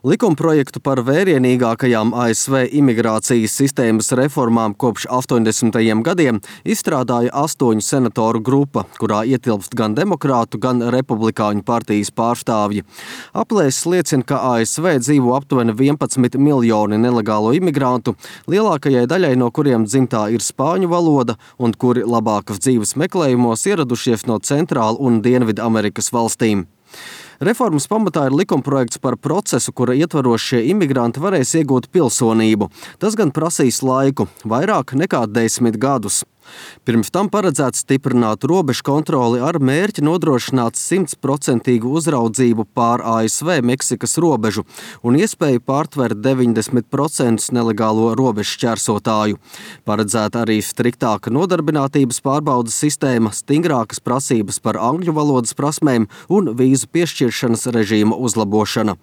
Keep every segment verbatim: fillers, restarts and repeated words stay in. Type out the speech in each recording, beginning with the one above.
Likumprojektu par vērienīgākajām A S V imigrācijas sistēmas reformām kopš astoņdesmitajiem gadiem izstrādāja astoņu senatoru grupa, kurā ietilpst gan demokrātu, gan republikāņu partijas pārstāvji. Aplēses liecina, ka A S V dzīvo aptuveni vienpadsmit miljoni nelegālo imigrantu, lielākajai daļai no kuriem dzimtā ir spāņu valoda un kuri labākas dzīves meklējumos ieradušies no Centrāla un Dienvidu Amerikas valstīm. Reformas pamatā ir likumprojekts par procesu, kura ietvaros šie imigranti varēs iegūt pilsonību. Tas gan prasīs laiku, vairāk nekā desmit gadus. Pirms tam paredzēts stiprināt robežu kontroli ar mērķi nodrošināt simtprocentīgu uzraudzību pār A S V Meksikas robežu un iespēju pārtvert deviņdesmit procentus nelegālo robežu šķērsotāju. Paredzēta arī striktāka nodarbinātības pārbaudas sistēma, stingrākas prasības par angļu valodas prasmēm un vīzu piešķiršanas režīma uzlabošana.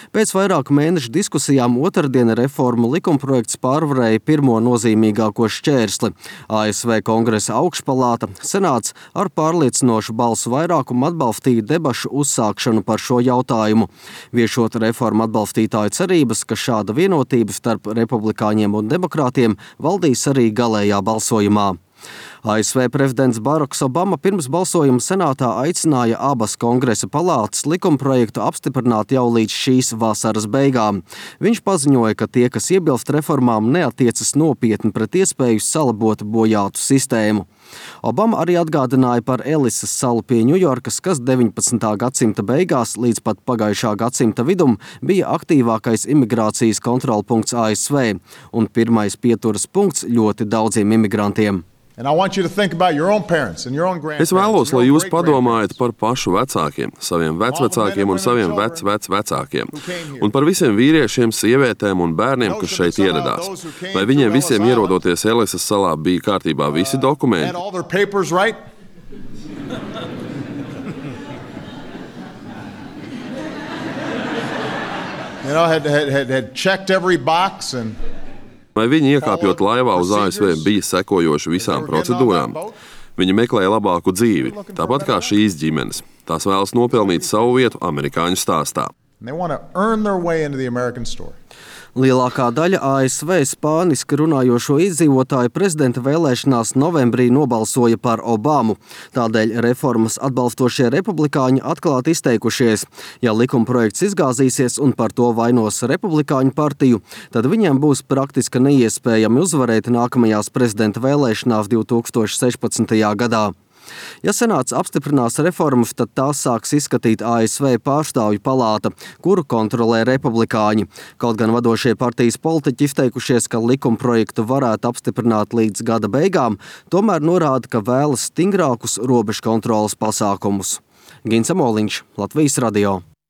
Pēc vairāku mēnešu diskusijām otrdien reformu likumprojekts pārvarēja pirmo nozīmīgāko šķērsli. A S V Kongresa augšpalāta, Senāts ar pārliecinošu balsu vairākumu atbalstīja debašu uzsākšanu par šo jautājumu, viešot reformu atbalstītāju cerības, ka šāda vienotība starp republikāņiem un demokrātiem valdīs arī galējā balsojumā. A S V prezidents Baraks Obama pirms balsojuma senātā aicināja abas kongresa palātas likumprojektu apstiprināt jau līdz šīs vasaras beigām. Viņš paziņoja, ka tie, kas iebilst reformām, neatiecas nopietni pret iespēju salabot bojātu sistēmu. Obama arī atgādināja par Elisas salu pie Ņujorkas, kas deviņpadsmitā gadsimta beigās līdz pat pagājušā gadsimta vidum bija aktīvākais imigrācijas kontrolpunkts A S V un pirmais pieturas punkts ļoti daudziem imigrantiem. Es vēlos, lai jūs padomājat par pašu vecākiem, saviem vecvecākiem un saviem vecvecvecākiem, un par visiem vīriešiem, sievietēm un bērniem, kas šeit ieradās. Vai viņiem visiem ierodoties Elisas salā bija kārtībā visi dokumenti? You know, had, had, had, had checked every box and Vai viņi iekāpjot laivā uz A S V bija sekojoši visām procedūrām? Viņi meklēja labāku dzīvi, tāpat kā šīs ģimenes. Tās vēlas nopelnīt savu vietu amerikāņu stāstā. Lielākā daļa A S V spāniski runājošo iedzīvotāju prezidenta vēlēšanās novembrī nobalsoja par Obamu. Tādēļ reformas atbalstošie republikāņi atklāti izteikušies. Ja likumprojekts izgāzīsies un par to vainos republikāņu partiju, tad viņiem būs praktiski neiespējami uzvarēt nākamajās prezidenta vēlēšanās divi tūkstoši sešpadsmitajā gadā. Ja Senāts apstiprinās reformas, tad tās sāks izskatīt A S V pārstāvju palāta, kuru kontrolē republikāņi. Kaut gan vadošie partijas politiķi izteikušies, ka likumprojektu varētu apstiprināt līdz gada beigām, tomēr norāda, ka vēlas stingrākus robežu kontroles pasākumus. Gins Amoliņš, Latvijas radio.